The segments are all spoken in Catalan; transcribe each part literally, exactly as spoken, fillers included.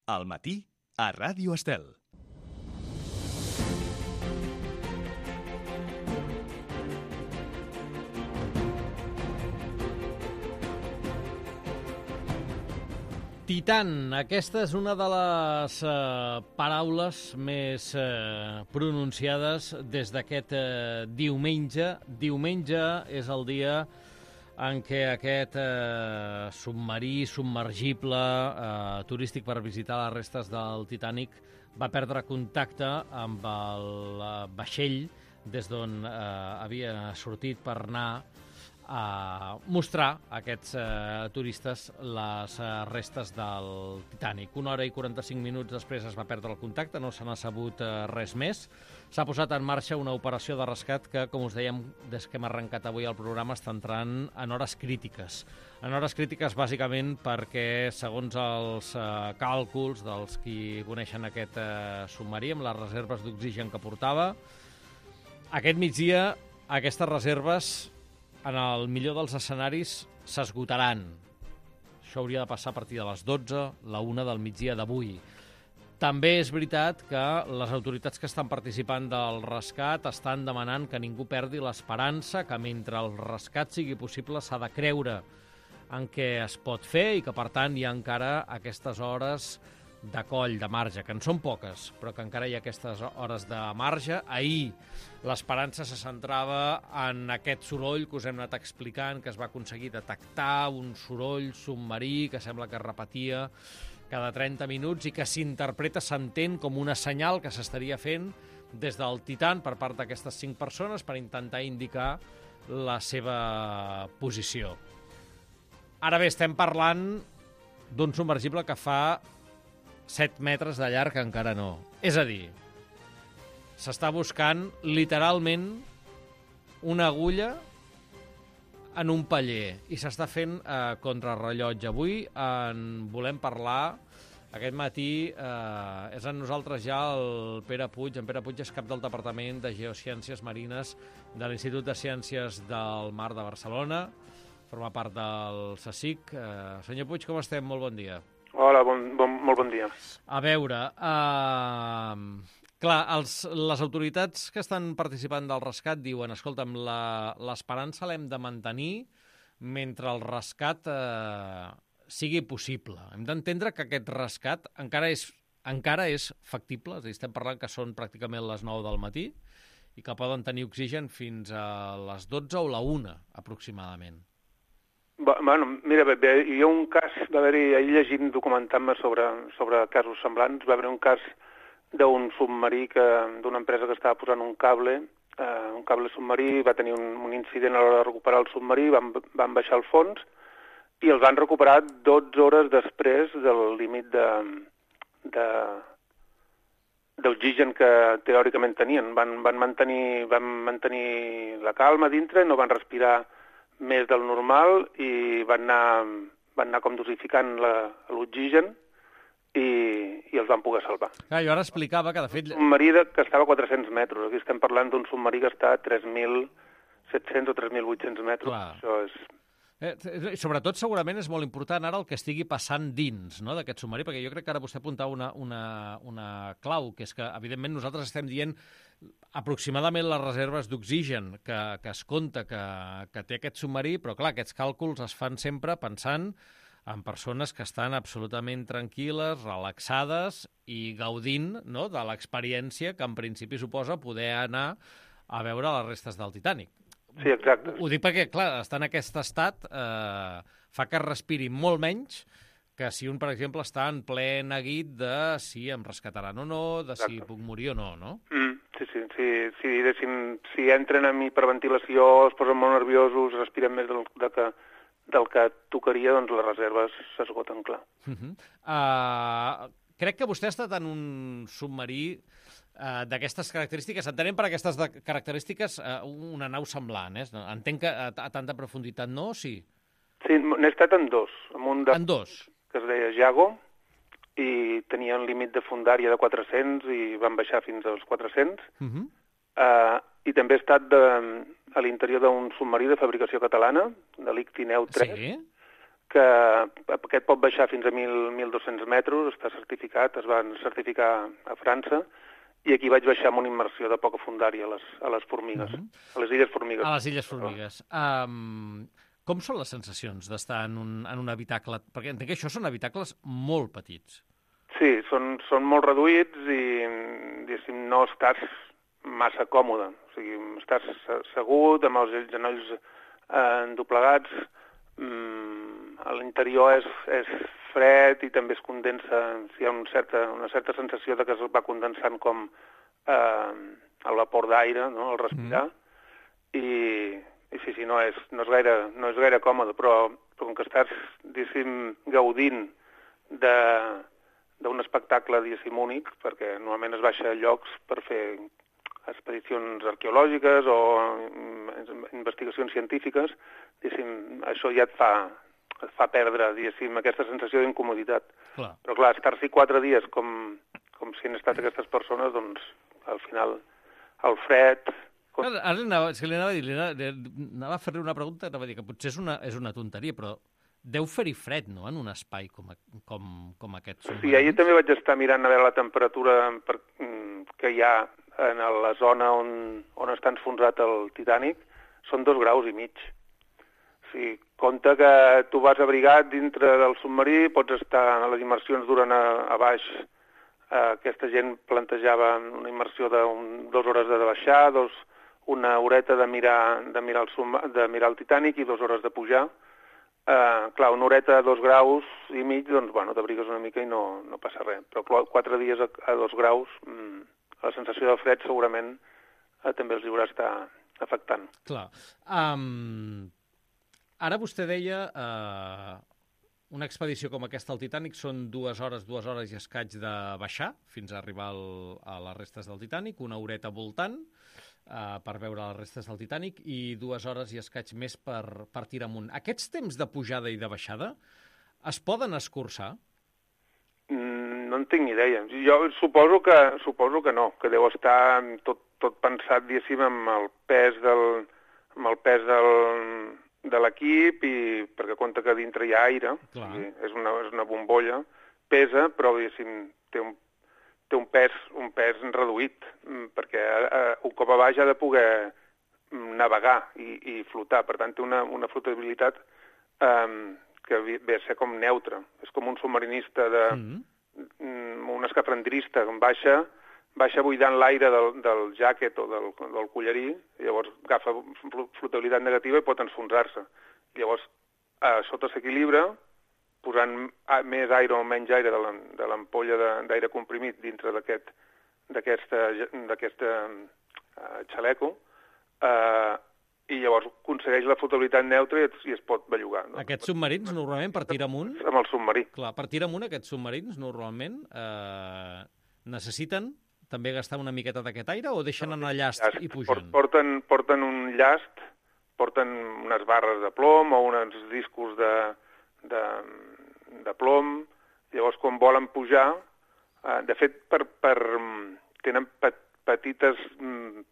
Al matí, a Ràdio Estel. Titan, aquesta és una de les eh, paraules més eh, pronunciades des d'aquest eh, diumenge. Diumenge és el dia en què aquest eh, submarí submergible eh, turístic per visitar les restes del Titanic va perdre contacte amb el eh, vaixell des d'on eh, havia sortit per anar a mostrar a aquests eh, turistes les eh, restes del Titanic. Una hora i quaranta-cinc minuts després es va perdre el contacte, no se n'ha sabut eh, res més. S'ha posat en marxa una operació de rescat que, com us dèiem, des que hem arrencat avui el programa, està entrant en hores crítiques. En hores crítiques, bàsicament, perquè, segons els eh, càlculs dels qui coneixen aquest eh, submarí, amb les reserves d'oxigen que portava, aquest migdia, aquestes reserves, en el millor dels escenaris, s'esgotaran. Això hauria de passar a partir de les dotze, la una del migdia d'avui. També és veritat que les autoritats que estan participant del rescat estan demanant que ningú perdi l'esperança, que mentre el rescat sigui possible s'ha de creure en què es pot fer i que, per tant, hi ha encara aquestes hores de coll, de marge, que en són poques, però que encara hi ha aquestes hores de marge. Ahir l'esperança se centrava en aquest soroll que us hem anat explicant, que es va aconseguir detectar, un soroll submarí que sembla que es repetia cada trenta minuts i que s'interpreta, s'entén com una senyal que s'estaria fent des del Titan per part d'aquestes cinc persones per intentar indicar la seva posició. Ara bé, estem parlant d'un submergible que fa set metres de llarg, encara no. És a dir, s'està buscant literalment una agulla en un paller i s'està fent eh, contrarrellotge. Avui en volem parlar. Aquest matí eh, és amb nosaltres ja el Pere Puig. En Pere Puig és cap del Departament de Geociències Marines de l'Institut de Ciències del Mar de Barcelona. Forma part del CSIC. Eh, senyor Puig, com estem? Molt bon dia. Hola, bon, bon, molt bon dia. A veure, uh, clar, els, les autoritats que estan participant del rescat diuen, escolta'm, l'esperança l'hem de mantenir mentre el rescat uh, sigui possible. Hem d'entendre que aquest rescat encara és, encara és factible, és a dir, estem parlant que són pràcticament les nou del matí i que poden tenir oxigen fins a les dotze o la una, aproximadament. Bueno, mira, hi ha un cas, va haver-hi, ahir llegint, documentant-me sobre, sobre casos semblants, va haver un cas d'un submarí, d'una empresa que estava posant un cable, eh, un cable submarí, va tenir un, un incident a l'hora de recuperar el submarí, van, van baixar al fons i el van recuperar dotze hores després del límit de, de, d'oxigen que teòricament tenien. Van, van, mantenir, van mantenir la calma dintre, no van respirar més del normal i van anar, van anar com dosificant l'oxigen i, i els van poder salvar. Clar, jo ara explicava que, de fet... Un submarí que estava a quatre-cents metres. Aquí estem parlant d'un submarí que està a tres mil set-cents o tres mil vuit-cents metres. Clar. Això és... Eh, sobretot, segurament, és molt important ara el que estigui passant dins, no?, d'aquest submarí, perquè jo crec que ara vostè apuntava una, una, una clau, que és que, evidentment, nosaltres estem dient aproximadament les reserves d'oxigen que, que es compta que, que té aquest submarí, però, clar, aquests càlculs es fan sempre pensant en persones que estan absolutament tranquil·les, relaxades i gaudint, no?, de l'experiència que, en principi, suposa poder anar a veure les restes del Titanic. Sí, exacte. Ho dic perquè, clar, estar en aquest estat eh, fa que es respiri molt menys que si un, per exemple, està en ple neguit de si em rescataran o no, de si Exacte. puc morir o no, no? Mm, sí, sí, sí, sí, sí, si entren en hiperventilació, es posen molt nerviosos, respiren més del, de que, del que tocaria, doncs les reserves s'esgoten, clar. Uh -huh. uh, crec que vostè ha estat en un submarí Uh, d'aquestes característiques, entenem per aquestes de característiques uh, una nau semblant, eh? Entenc que a, a tanta profunditat no, sí? Sí, n'he estat en dos. En un de... En dos? Que es deia Jago, i tenia un límit de fondària de quatre-cents i van baixar fins als quatre-cents. Uh -huh. uh, I també he estat de, a l'interior d'un submarí de fabricació catalana, de l'Ictineu tres, sí? que aquest pot baixar fins a mil dos-cents metres, està certificat, es van certificar a França, i aquí vaig baixar amb una immersió de poca fundària a les, a les formigues, uh -huh. a les illes formigues. A les illes formigues. Um, com són les sensacions d'estar en un, en un habitacle? Perquè entenc que això són habitacles molt petits. Sí, són, són molt reduïts i, diguéssim, no estàs massa còmode. O sigui, estàs assegut, amb els genolls eh, doblegats, mm, a l'interior és, és fred i també es condensa, hi ha un certa, una certa sensació de que es va condensant com eh, el vapor d'aire, no?, al respirar, mm. i, i sí, sí, no és, no és, gaire, no és gaire còmode, però, però com que estàs, diguéssim, gaudint de d'un espectacle, diguéssim, únic, perquè normalment es baixa a llocs per fer expedicions arqueològiques o investigacions científiques, diguéssim, això ja et fa, et fa perdre, diguéssim, aquesta sensació d'incomoditat. Clar. Però clar, estar-s'hi quatre dies com, com si han estat aquestes persones, doncs, al final, el fred... Com... Ara, ara anava, és que li anava a dir, li anava, anava a fer-li una pregunta, anava a dir que potser és una, és una tonteria, però deu fer-hi fred, no?, en un espai com, a, com, com aquest submarins. Sí, ahir també vaig estar mirant a veure la temperatura per, que hi ha en la zona on, on està enfonsat el Titanic, són dos graus i mig. O sigui, compte que tu vas abrigat dintre del submarí, pots estar, les immersions duren a, a baix, eh, aquesta gent plantejava una immersió de un, dues hores de baixar, dos, una horeta de mirar, de, mirar el sub, de mirar el Titanic i dues hores de pujar. Uh, clar, una horeta a dos graus i mig, doncs, bueno, t'abrigues una mica i no, no passa res. Però quatre dies a, a dos graus, mmm, la sensació de fred segurament uh, també els haurà estar afectant. Clar. Um, ara vostè deia, uh, una expedició com aquesta al Titanic són dues hores, dues hores i escaig de baixar fins a arribar al, a les restes del Titanic, una horeta voltant, Uh, per veure les restes del Titanic i dues hores i escaig més per, per tirar amunt. Aquests temps de pujada i de baixada es poden escurçar? Mm, no en tinc ni idea. Jo suposo que, suposo que no, que deu estar tot, tot pensat, diguéssim, amb el pes del, amb el pes del, de l'equip i perquè compta que dintre hi ha aire, i és, una, és una bombolla, pesa, però, diguéssim, té un té un pes, un pes reduït, perquè eh, un cop a baix ha de poder navegar i, i flotar. Per tant, té una, una flotabilitat eh, que ve a ser com neutra. És com un submarinista, de, mm. un escafandrista, que baixa, baixa buidant l'aire del, del jàquet o del, del collarí, i llavors agafa flotabilitat negativa i pot enfonsar-se. Llavors, a sota s'equilibra, posant més aire o menys aire de l'ampolla d'aire comprimit dintre d'aquest uh, xaleco, uh, i llavors aconsegueix la flotabilitat neutra i, i es pot bellugar. No? Aquests submarins, normalment, per tirar amunt... Amb el submarí. Clar, per tirar amunt, aquests submarins, normalment, eh, necessiten també gastar una miqueta d'aquest aire o deixen anar llast, llast i pugen? Porten, porten un llast, porten unes barres de plom o uns discos de... De, de plom, llavors quan volen pujar, eh, de fet per, per, tenen pe, petites, mm,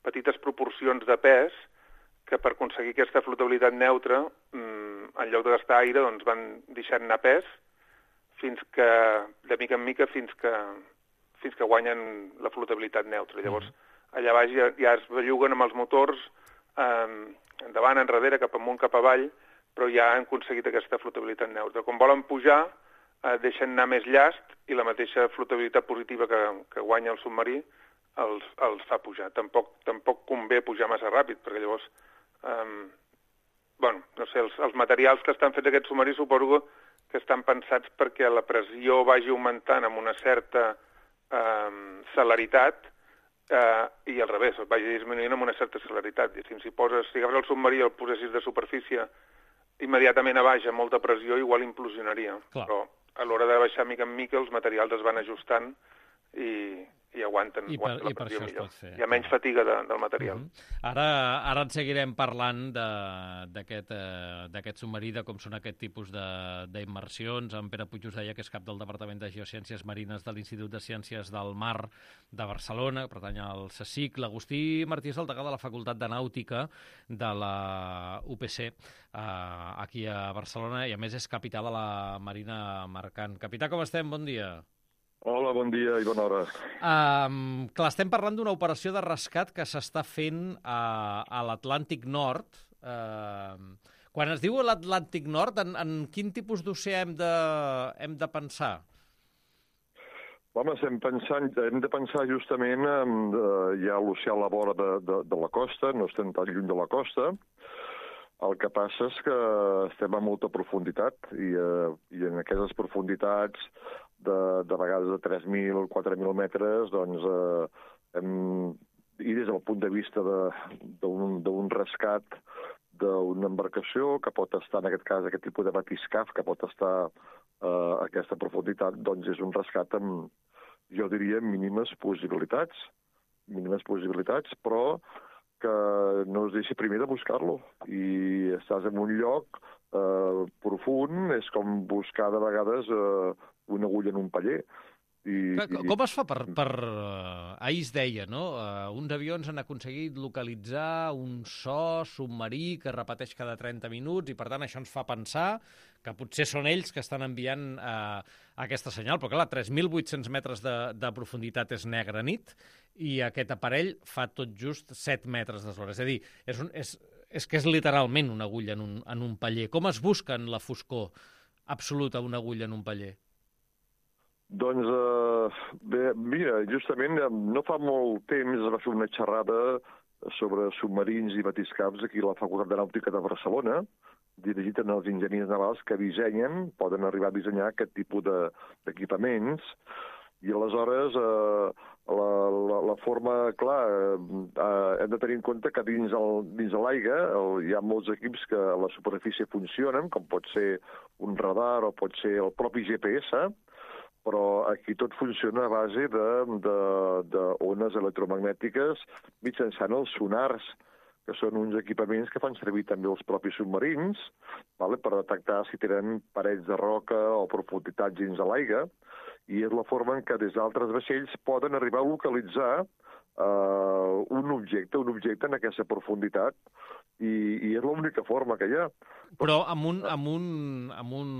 petites proporcions de pes que per aconseguir aquesta flotabilitat neutra, mm, en lloc de gastar aire, doncs van deixant anar pes fins que, de mica en mica, fins que, fins que guanyen la flotabilitat neutra. Llavors, allà baix ja, ja es belluguen amb els motors eh, endavant, enrere, cap amunt, cap avall, però ja han aconseguit aquesta flotabilitat neutra. Quan volen pujar, eh, deixen anar més llast i la mateixa flotabilitat positiva que, que guanya el submarí els, els fa pujar. Tampoc, tampoc convé pujar massa ràpid, perquè llavors, eh, bueno, no sé, els, els materials que estan fets aquests submarins suposo que estan pensats perquè la pressió vagi augmentant amb una certa eh, celeritat eh, i al revés, vagi disminuint amb una certa celeritat. Si, si, poses, si agafes el submarí i el posessis de superfície immediatament a baix, amb molta pressió, igual implosionaria. Clar. Però a l'hora de baixar mica en mica els materials es van ajustant i, i aguanten, I per, aguanten la i per pressió això es millor. pot fer. Hi ha menys fatiga de, del material. Uh -huh. Ara, ara en seguirem parlant d'aquest eh, submarí, de com són aquest tipus d'immersions. En Pere Puig us deia que és cap del Departament de Geociències Marines de l'Institut de Ciències del Mar de Barcelona, pertany al CSIC. L'Agustí Martí és el degà de la Facultat de Nàutica de la U P C, eh, aquí a Barcelona, i a més és capità de la Marina Mercant. Capità, com estem? Bon dia. Hola, bon dia i bona hora. Um, clar, estem parlant d'una operació de rescat que s'està fent a, a l'Atlàntic Nord. Uh, quan es diu l'Atlàntic Nord, en, en quin tipus d'oceà hem, de, hem de pensar? Home, estem pensant, hem de pensar justament en uh, hi ha l'oceà a la vora de, de, de la costa, no estem tan lluny de la costa. El que passa és que estem a molta profunditat i, uh, i en aquestes profunditats de, de vegades de tres mil, quatre mil metres, doncs, eh, hem, i des del punt de vista d'un rescat d'una embarcació que pot estar, en aquest cas, aquest tipus de batiscaf, que pot estar eh, a aquesta profunditat, doncs és un rescat amb, jo diria, mínimes possibilitats, mínimes possibilitats, però que no es deixi primer de buscar-lo. I estàs en un lloc eh, profund, és com buscar de vegades eh, una agulla en un paller. I, com, com es fa per... per uh, ahir es deia, no? Uh, uns avions han aconseguit localitzar un so submarí que repeteix cada trenta minuts i, per tant, això ens fa pensar que potser són ells que estan enviant uh, aquesta senyal. Però, clar, tres mil vuit-cents metres de, de profunditat és negra nit i aquest aparell fa tot just set metres d'eslora. És a dir, és, un, és, és que és literalment una agulla en un, en un paller. Com es busca en la foscor absoluta una agulla en un paller? Doncs, eh, bé, mira, justament no fa molt temps es va fer una xerrada sobre submarins i batiscaps aquí a la Facultat de Nàutica de Barcelona, dirigit als enginyers navals que dissenyen, poden arribar a dissenyar aquest tipus d'equipaments, i aleshores eh, la, la, la forma, clar, eh, hem de tenir en compte que dins, el, dins de l'aigua hi ha molts equips que a la superfície funcionen, com pot ser un radar o pot ser el propi G P S, però aquí tot funciona a base d'ones electromagnètiques mitjançant els sonars, que són uns equipaments que fan servir també els propis submarins, vale, per detectar si tenen parets de roca o profunditats dins de l'aigua, i és la forma en què des d'altres vaixells poden arribar a localitzar uh, un objecte, un objecte en aquesta profunditat, i, i és l'única forma que hi ha. Però amb un, amb un, amb un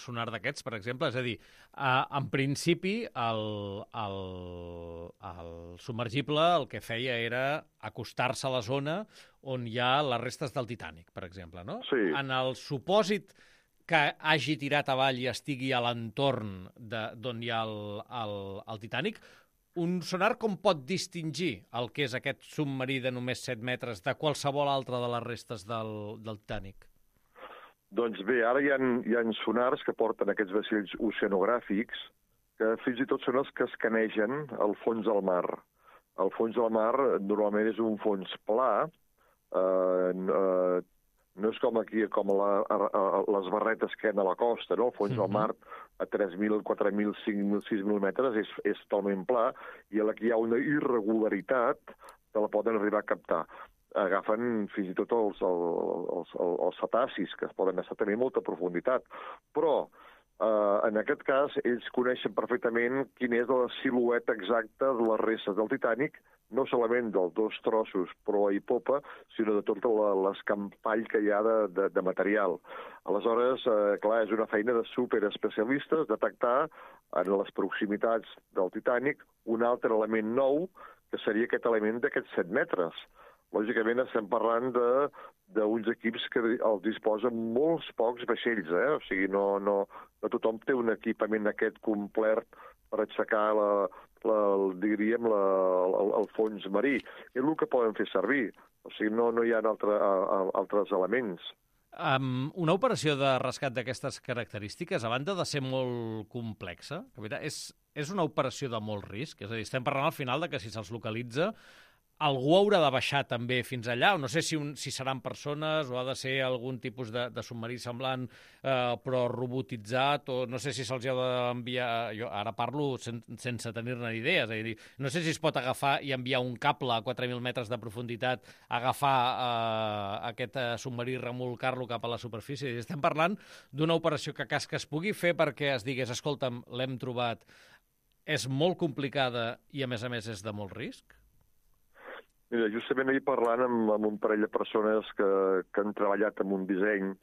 sonar d'aquests, per exemple, és a dir, eh, en principi el, el, el submergible el que feia era acostar-se a la zona on hi ha les restes del Titanic, per exemple, no? Sí. En el supòsit que hagi tirat avall i estigui a l'entorn d'on hi ha el, el, el Titanic, un sonar com pot distingir el que és aquest submarí de només set metres de qualsevol altra de les restes del, del Titanic? Doncs bé, ara hi ha, hi ha sonars que porten aquests vaixells oceanogràfics que fins i tot són els que escanegen el fons del mar. El fons del mar normalment és un fons pla, eh, eh, no és com aquí, com la, a, a, les barretes que hi ha a la costa, no? El fons mm-hmm. del mar a tres mil, quatre mil, cinc mil, sis mil metres és, és totalment pla, i aquí hi ha una irregularitat que la poden arribar a captar. Agafen fins i tot els, els, els, els cetacis, que poden estar tenint molta profunditat. Però, eh, en aquest cas, ells coneixen perfectament quina és la silueta exacta de les restes del Titanic, no solament dels dos trossos proa i popa, sinó de tot l'escampall que hi ha de, de, de material. Aleshores, eh, clar, és una feina de superespecialistes detectar en les proximitats del Titanic un altre element nou, que seria aquest element d'aquests set metres. Lògicament estem parlant d'uns equips que els disposen molts pocs vaixells, eh? O sigui, no, no, no tothom té un equipament aquest complet per aixecar la, la, diríem, la, el, el fons marí. És el que poden fer servir. O sigui, no, no hi ha altre, a, altres elements. Um, una operació de rescat d'aquestes característiques, a banda de ser molt complexa, és, és una operació de molt risc. És a dir, estem parlant al final de que si se'ls localitza, algú haurà de baixar també fins allà, o no sé si, un, si seran persones o ha de ser algun tipus de, de submarí semblant, eh, però robotitzat, o no sé si se'ls ha d'enviar... Jo ara parlo sen, sense tenir-ne idees, és a dir, no sé si es pot agafar i enviar un cable a quatre mil metres de profunditat, agafar eh, aquest eh, submarí i remolcar-lo cap a la superfície. Estem parlant d'una operació que cas que es pugui fer perquè es digués, escolta'm, l'hem trobat, és molt complicada i, a més a més, és de molt risc? Mira, justament ahir parlant amb, amb un parell de persones que, que han treballat en un disseny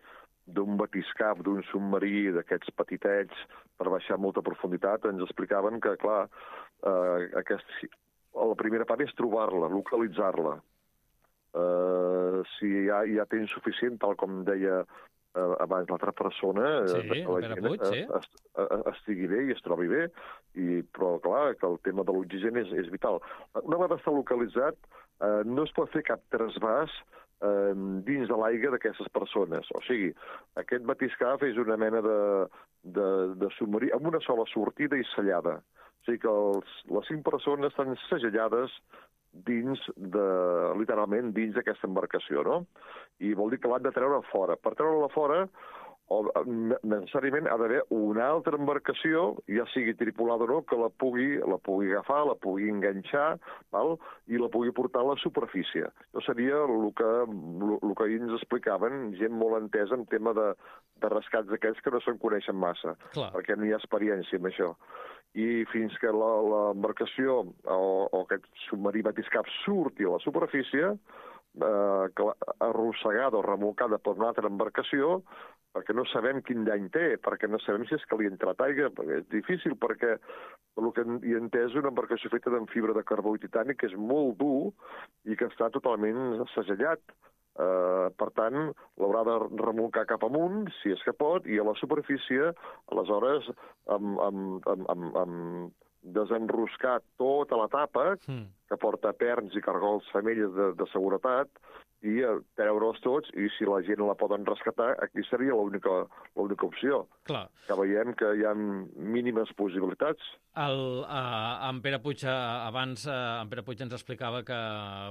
d'un batiscaf, d'un submarí d'aquests petitets per baixar a molta profunditat, ens explicaven que, clar, eh, aquest, la primera part és trobar-la, localitzar-la. Eh, si ja, ja tens suficient, tal com deia eh, abans l'altra persona, sí, eh, que la gent Puig, sí. est, est, estigui bé i es trobi bé, i, però clar, que el tema de l'oxigen és, és vital. Una vegada està localitzat, eh, no es pot fer cap trasbàs eh, dins de l'aigua d'aquestes persones. O sigui, aquest batiscaf és una mena de, de, de submarí amb una sola sortida i sellada. O sigui que els, les cinc persones estan segellades dins de, literalment, dins d'aquesta embarcació, no? I vol dir que l'han de treure fora. Per treure-la fora, o, necessàriament ha d'haver una altra embarcació, ja sigui tripulada o no, que la pugui, la pugui agafar, la pugui enganxar, val? I la pugui portar a la superfície. Això seria el que, el que ens explicaven, gent molt entesa en tema de, de rescats d'aquells que no se'n coneixen massa, Clar. Perquè no hi ha experiència en això. I fins que l'embarcació o, o aquest submarí batiscaf surti a la superfície, eh, arrossegada o remolcada per una altra embarcació, perquè no sabem quin dany té, perquè no sabem si és que li ha entrat aigua, perquè és difícil, perquè el que hi he entès és una embarcació feta amb fibra de carbó i titani, que és molt dur i que està totalment segellat. Uh, per tant, l'haurà de remolcar cap amunt, si és que pot, i a la superfície, aleshores, amb, amb, amb, amb, amb desenroscar tota la tapa, mm. que porta perns i cargols femelles de, de seguretat, i treure'ls tots, i si la gent la poden rescatar, aquí seria l'única l'única opció. Clar. Que veiem que hi ha mínimes possibilitats. El, uh, en Pere Puig, uh, abans, uh, en Pere Puig ens explicava que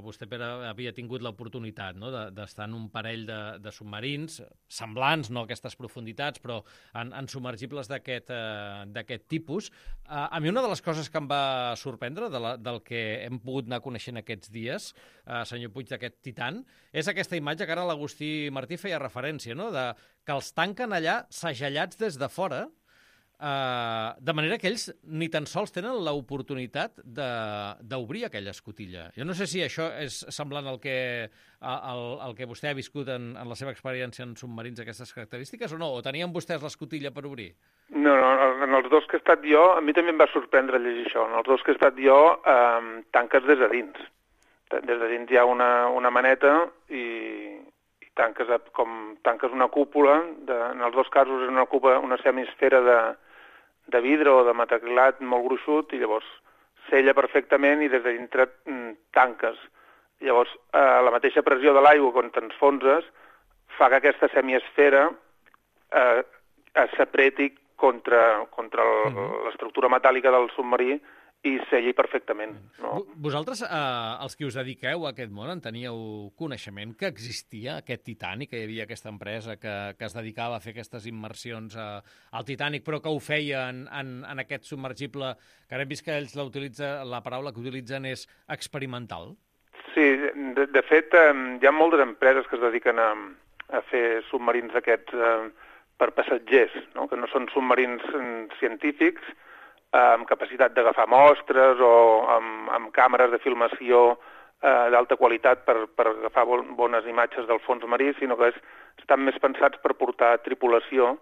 vostè, Pere, havia tingut l'oportunitat, no?, d'estar en un parell de, de submarins semblants, no a aquestes profunditats, però en, en submergibles d'aquest uh, tipus. Uh, a mi una de les coses que em va sorprendre de la, del que hem pogut anar coneixent aquests dies, uh, senyor Puig, d'aquest Titan, és aquesta imatge que ara l'Agustí Martí feia referència, no?, de que els tanquen allà segellats des de fora, eh, de manera que ells ni tan sols tenen l'oportunitat d'obrir aquella escotilla. Jo no sé si això és semblant al que, al, al que vostè ha viscut en, en la seva experiència en submarins d'aquestes característiques, o no? O tenien vostès l'escotilla per obrir? No, no, en els dos que he estat jo, a mi també em va sorprendre llegir això. En els dos que he estat jo, eh, tanques des de dins. Des de dins hi ha una, una maneta i, i tanques, com, tanques una cúpula. De, en els dos casos és una, cúpula, una semisfera de, de vidre o de metacrilat molt gruixut i llavors sella perfectament i des de dintre tanques. Llavors, eh, la mateixa pressió de l'aigua quan t'enfonses fa que aquesta semiesfera eh, s'apreti contra, contra l'estructura metàl·lica del submarí i selli perfectament. No? Vosaltres, eh, els que us dediqueu a aquest món, en teníeu coneixement que existia aquest Titanic, que hi havia aquesta empresa que, que es dedicava a fer aquestes immersions a, al Titanic, però que ho feia en, en, en aquest submergible, que ara hem vist que ells la, utilitza, la paraula que utilitzen és experimental? Sí, de, de fet, eh, hi ha moltes empreses que es dediquen a, a fer submarins aquests eh, per passatgers, no? Que no són submarins científics, amb capacitat d'agafar mostres o amb, amb càmeres de filmació eh, d'alta qualitat per, per agafar bon, bones imatges del fons marí, sinó que és, estan més pensats per portar tripulació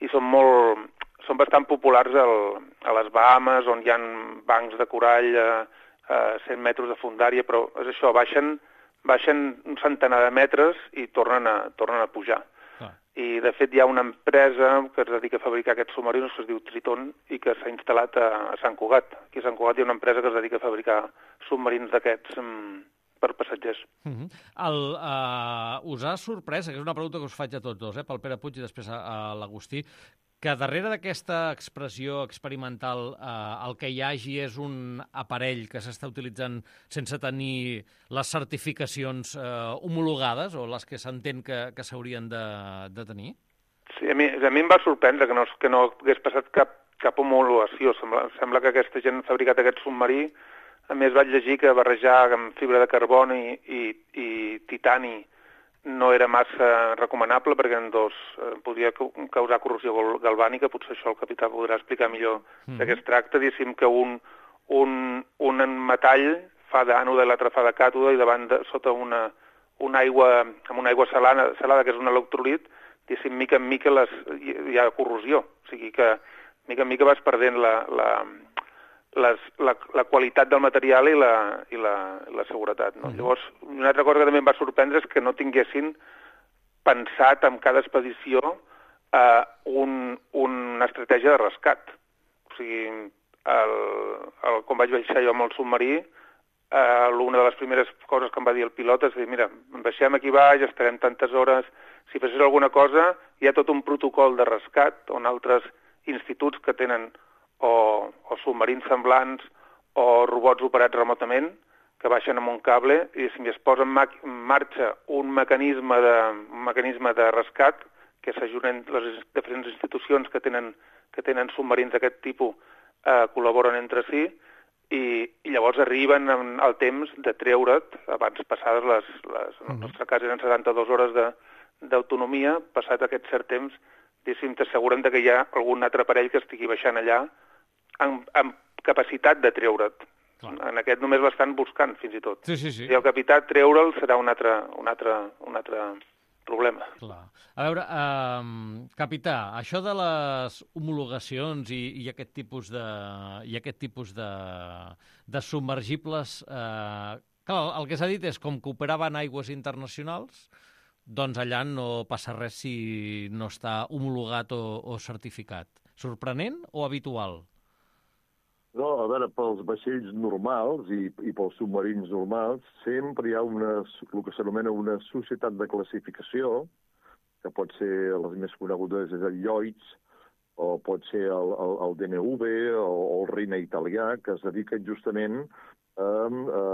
i són, molt, són bastant populars al, a les Bahamas, on hi ha bancs de corall a, a cent metres de fondària, però és això, baixen, baixen un centenar de metres i tornen a, tornen a pujar. I, de fet, hi ha una empresa que es dedica a fabricar aquests submarins que es diu Triton i que s'ha instal·lat a, a Sant Cugat. Aquí a Sant Cugat hi ha una empresa que es dedica a fabricar submarins d'aquests um, per passatgers. Uh-huh. El, uh, us ha sorprès, que és una pregunta que us faig a tots dos, eh, pel Pere Puig i després a, a l'Agustí, que darrere d'aquesta expressió experimental eh, el que hi hagi és un aparell que s'està utilitzant sense tenir les certificacions eh, homologades o les que s'entén que, que s'haurien de, de tenir? Sí, a mi, a mi em va sorprendre que no, que no hagués passat cap, cap homologació. Sembla, sembla que aquesta gent ha fabricat aquest submarí. A més, vaig llegir que barrejar amb fibra de carboni i, i titani no era massa recomanable perquè en dos eh, podria causar corrosió galvànica. Potser això el capità podrà explicar millor mm-hmm. de què es tracta. Diguéssim que un, un, un metall fa d'ànode i l'altre fa de càtode i davant de, sota una, una aigua, amb una aigua salada, salada que és un electròlit, diguéssim, mica en mica les, hi ha corrosió. O sigui que mica en mica vas perdent la, la, les, la, la qualitat del material i la, i la, la seguretat. No? Mm-hmm. Llavors, una altra cosa que també em va sorprendre és que no tinguessin pensat en cada expedició eh, un, una estratègia de rescat. O sigui, el, el, quan vaig baixar jo amb el submarí, eh, una de les primeres coses que em va dir el pilot és dir, mira, baixem aquí baix, estarem tantes hores, si passés alguna cosa, hi ha tot un protocol de rescat on altres instituts que tenen o, o submarins semblants o robots operats remotament que baixen amb un cable i si es posa en, en marxa un mecanisme de, un mecanisme de rescat que s'ajunen les diferents institucions que tenen, que tenen submarins d'aquest tipus eh, col·laboren entre si i, i llavors arriben al temps de treure't abans passades les... les en el nostre cas eren setanta-dues hores de, d'autonomia, passat aquest cert temps, diguéssim, t'asseguren que hi ha algun altre aparell que estigui baixant allà amb, amb capacitat de treure't. Clar. En aquest només l'estan buscant, fins i tot. Sí, sí, sí. I el capità treure'l serà un altre, un altre, un altre problema. Clar. A veure, eh, capità, això de les homologacions i, i aquest tipus de, i aquest tipus de, de submergibles, eh, clar, el que s'ha dit és com que operaven aigües internacionals, doncs allà no passa res si no està homologat o, o certificat. Sorprenent o habitual? No, a veure, pels vaixells normals i, i pels submarins normals sempre hi ha una, el que s'anomena una societat de classificació, que pot ser les més conegudes és el Lloyds, o pot ser el, el, el D N V o, o el Reina italià, que es dediquen justament a, a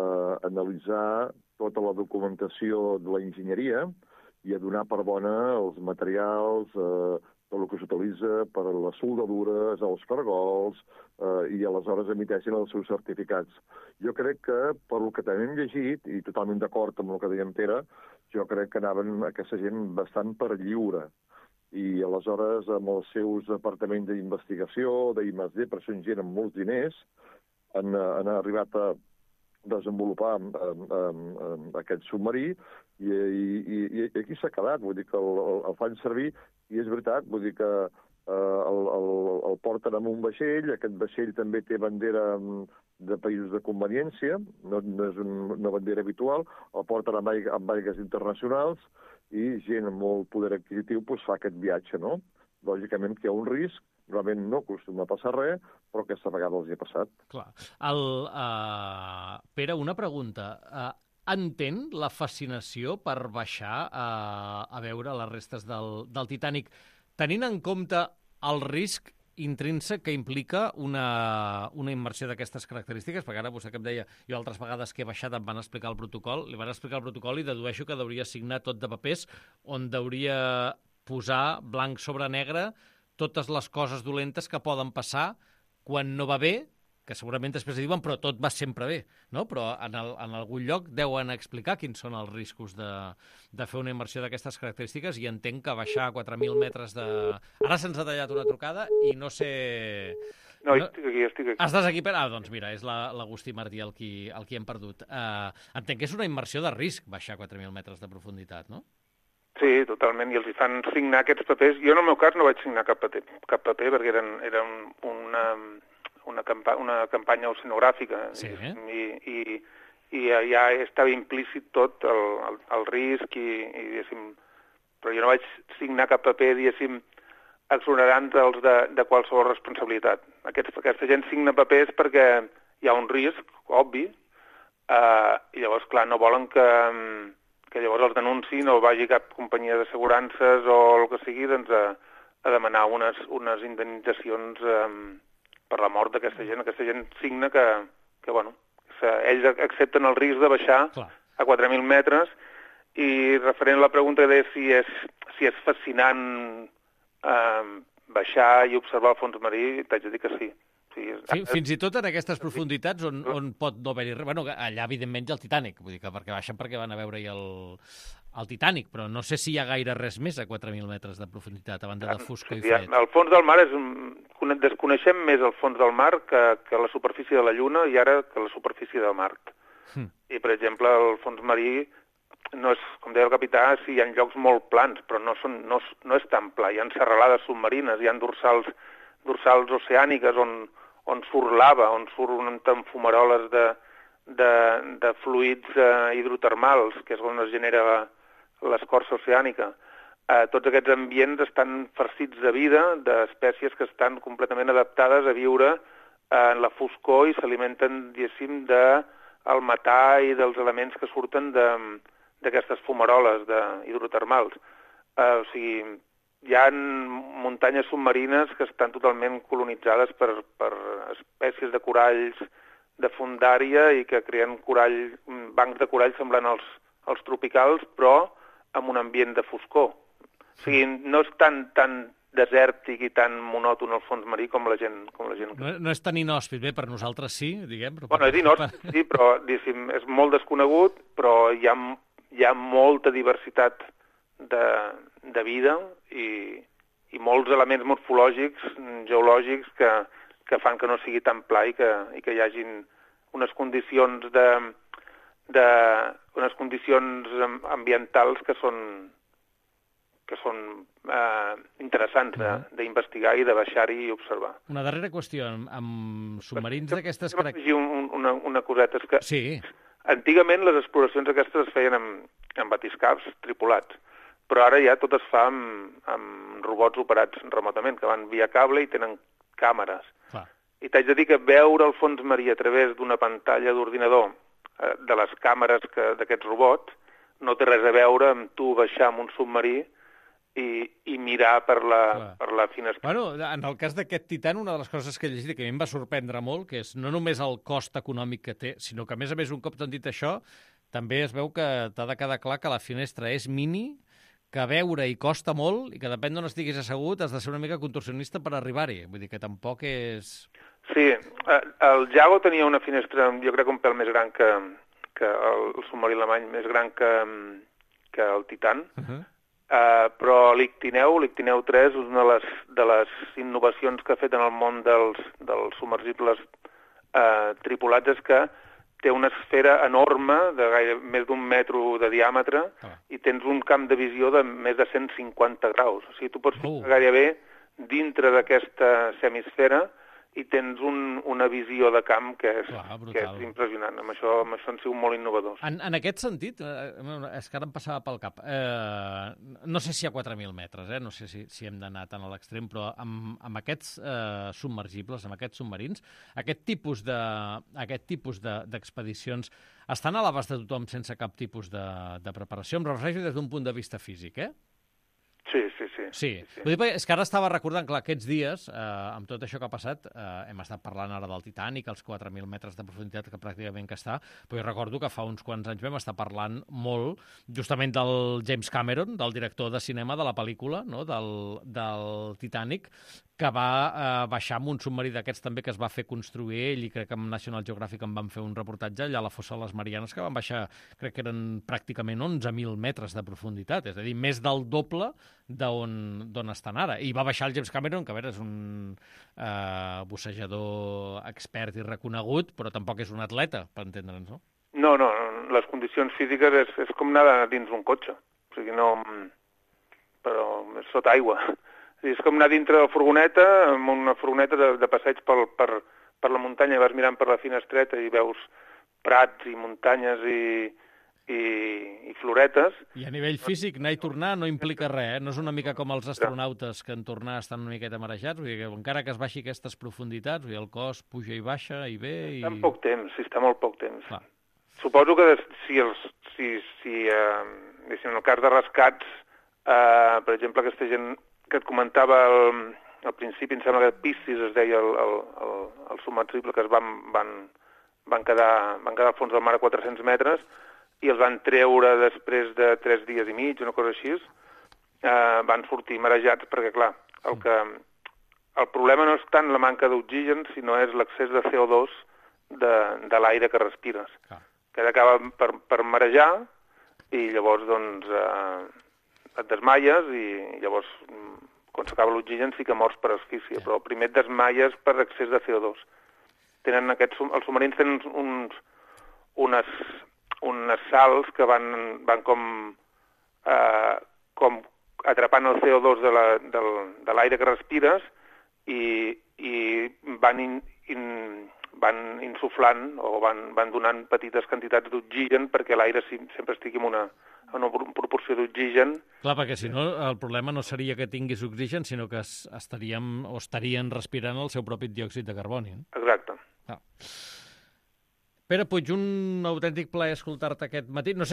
analitzar tota la documentació de la enginyeria i a donar per bona els materials, eh, tot el que s'utilitza per a les soldadures, els cargols, eh, i aleshores emiteixen els seus certificats. Jo crec que, per el que també hem llegit, i totalment d'acord amb el que deia en Pere, jo crec que anaven aquesta gent bastant per lliure. I aleshores, amb els seus departaments d'investigació, d'I més D, per ser gent amb molts diners, han, han arribat a desenvolupar um, um, um, aquest submarí i, i, i aquí s'ha quedat, vull dir que el, el, el fan servir i és veritat, vull dir que uh, el, el, el porten amb un vaixell, aquest vaixell també té bandera de països de conveniència, no, no és un, una bandera habitual, el porten amb, aig amb aigues internacionals i gent amb molt poder adquisitiu pues, fa aquest viatge, no? Lògicament que hi ha un risc, realment no acostuma a passar res, però aquesta vegada els hi ha passat. Clar. El, uh, Pere, una pregunta. Uh, entén la fascinació per baixar uh, a veure les restes del, del Titanic, tenint en compte el risc intrínsec que implica una, una immersió d'aquestes característiques, perquè ara vostè que em deia, jo altres vegades que he baixat em van explicar el protocol, li van explicar el protocol i dedueixo que hauria signar tot de papers on hauria posar blanc sobre negre totes les coses dolentes que poden passar quan no va bé, que segurament després diuen però tot va sempre bé, no? Però en, el, en algun lloc deuen explicar quins són els riscos de, de fer una immersió d'aquestes característiques i entenc que baixar a quatre mil metres de... Ara se'ns ha tallat una trucada i no sé... No, no... estic aquí, estic aquí. Estàs aquí? Per... Ah, doncs mira, és l'Agustí Martí el qui, el qui hem perdut. Uh, entenc que és una immersió de risc baixar a quatre mil metres de profunditat, no? Sí, totalment, i els hi fan signar aquests papers. Jo, en el meu cas, no vaig signar cap paper, cap paper perquè eren, eren una, una, campa una campanya oceanogràfica, sí, eh? i, i, i ja estava implícit tot el, el, el risc, i, i diguéssim, però jo no vaig signar cap paper, diguéssim, exonerant-los de, de qualsevol responsabilitat. Aquests, aquesta gent signa papers perquè hi ha un risc, obvi, eh, i llavors, clar, no volen que... que llavors el denunci no vagi cap companyia d'assegurances o el que sigui, doncs, a, a demanar unes, unes indemnitzacions eh, per la mort d'aquesta gent. Aquesta gent signa que, que bueno, ells accepten el risc de baixar Clar. a quatre mil metres, i referent a la pregunta de si és, si és fascinant eh, baixar i observar el fons marí, t'haig de dir que sí. Sí, sí, fins i tot en aquestes profunditats on, on pot no haver-hi res. Bueno, allà, evidentment, hi ha el Titanic, vull dir que perquè baixen perquè van a veure-hi el, el Titanic, però no sé si hi ha gaire res més a quatre mil metres de profunditat, a banda de foscor sí, i fred. El fons del mar és un... Desconeixem més el fons del mar que, que la superfície de la Lluna i ara que la superfície de Mart. Hm. I, per exemple, el fons marí no és, com deia el capità, sí, hi ha llocs molt plans, però no, són, no, no és tan pla. Hi ha serralades submarines, hi ha dorsals, dorsals oceàniques on on surt lava, on surten fumaroles de, de, de fluids eh, hidrotermals, que és on es genera l'escorça oceànica. Eh, tots aquests ambients estan farcits de vida, d'espècies que estan completament adaptades a viure en la foscor i s'alimenten, diguéssim, del metà i dels elements que surten d'aquestes fumaroles de, hidrotermals. Eh, o sigui, hi ha muntanyes submarines que estan totalment colonitzades per, per espècies de coralls de fondària i que creen corall, bancs de corall semblant als, als tropicals, però amb un ambient de foscor. O sigui, no és tan, tan desèrtic i tan monòton el fons marí com la gent... Com la gent... No, no és tan inhòspit, bé, per nosaltres sí, diguem. Però bueno, és inhòspit, sí, però diguéssim, és molt desconegut, però hi ha, hi ha molta diversitat de, de vida i, i molts elements morfològics, geològics, que, que fan que no sigui tan pla i que, i que hi hagin unes condicions de, de unes condicions ambientals que són que són eh, interessants d'investigar i de baixar-hi i observar. Una darrera qüestió, amb, amb submarins d'aquestes... Crec... Un, una, una coseta, és que sí. Antigament les exploracions aquestes es feien amb, amb batiscafs tripulats, però ara ja tot es fa amb, amb robots operats remotament, que van via cable i tenen càmeres. Clar. I t'haig de dir que veure el fons marí a través d'una pantalla d'ordinador eh, de les càmeres d'aquests robots no té res a veure amb tu baixar amb un submarí i, i mirar per la, per la finestra. Bueno, en el cas d'aquest Titan, una de les coses que he llegit i que a mi em va sorprendre molt, que és no només el cost econòmic que té, sinó que, a més a més, un cop t'han dit això, també es veu que t'ha de quedar clar que la finestra és mini, que veure hi costa molt i que depèn d'on estiguis assegut has de ser una mica contorsionista per arribar-hi. Vull dir que tampoc és... Sí, el Jago tenia una finestra, jo crec, un pèl més gran que, que el submarí alemany, més gran que, que el Titan, uh-huh. Uh, però l'Ictineu, l'Ictineu tres, és una de les, de les innovacions que ha fet en el món dels, dels submergibles uh, tripulats és que té una esfera enorme, de gaire, més d'un metro de diàmetre, ah. i tens un camp de visió de més de cent cinquanta graus. O sigui, tu pots ficar uh. gairebé dintre d'aquesta semisfera i tens un, una visió de camp que és, Clar, que és impressionant. Amb això, amb això han sigut molt innovadors. En, en aquest sentit, eh, és que ara em passava pel cap, eh, no sé si a quatre mil metres, eh, no sé si, si hem d'anar tan a l'extrem, però amb, amb aquests eh, submergibles, amb aquests submarins, aquest tipus de, aquest tipus de, d'expedicions estan a l'abast de tothom sense cap tipus de, de preparació. Em refereixo des d'un punt de vista físic, eh? Sí, sí, sí. Sí, sí. Vull dir, és que ara estava recordant, clar, aquests dies, eh, amb tot això que ha passat, eh, hem estat parlant ara del Titanic, els quatre mil metres de profunditat que pràcticament que està, però jo recordo que fa uns quants anys vam estar parlant molt justament del James Cameron, del director de cinema de la pel·lícula, no?, del, del Titanic, que va eh, baixar amb un submarí d'aquests també que es va fer construir ell, i crec que amb National Geographic en van fer un reportatge allà a la fossa de les Marianes, que van baixar, crec que eren pràcticament onze mil metres de profunditat, és a dir, més del doble d'on, d'on estan ara. I va baixar el James Cameron, que a veure, és un eh, bussejador expert i reconegut, però tampoc és un atleta, per entendre'ns, no? No, no, les condicions físiques és, és com anar dins un cotxe, o sigui, no... però és sota aigua. És com anar dintre de la furgoneta, amb una furgoneta de, de passeig per, per, per la muntanya, i vas mirant per la finestreta i veus prats i muntanyes i, i, i floretes. I a nivell físic, anar i tornar no implica res, eh? No és una mica com els astronautes que en tornar estan una miqueta marejats, vull dir que encara que es baixi aquestes profunditats, vull dir, el cos puja i baixa i ve... I... Està en poc temps, sí, està molt poc temps. Clar. Suposo que si, els, si, si eh, en el cas de rescats, eh, per exemple, aquesta gent que et comentava el, al principi, em sembla que Piscis es deia el, el, el, el submersible, que es van, van, van, quedar, van quedar al fons del mar a quatre-cents metres i els van treure després de tres dies i mig, una cosa així, eh, van sortir marejats perquè, clar, el, que, el problema no és tant la manca d'oxigen, sinó és l'excés de C O dos de, de l'aire que respires, ah. que acaba per, per marejar i llavors, doncs, eh, et desmaies i llavors, quan s'acaba l'oxigen, sí que mors per asfíxia, yeah. però primer et desmaies per excés de C O dos. Tenen aquests, els submarins tenen uns, unes, unes sals que van, van com, eh, com atrapant el C O dos de la, del, de l'aire que respires i, i van, in, in, van insuflant o van, van donant petites quantitats d'oxigen perquè l'aire sempre estigui en una, en una proporció d'oxigen. Clar, perquè si no el problema no seria que tinguis oxigen, sinó que estaríem o estarien respirant el seu propi diòxid de carboni. Eh? Exacte. Ah. Pere Puig, un autèntic plaer escoltar-te aquest matí. No sé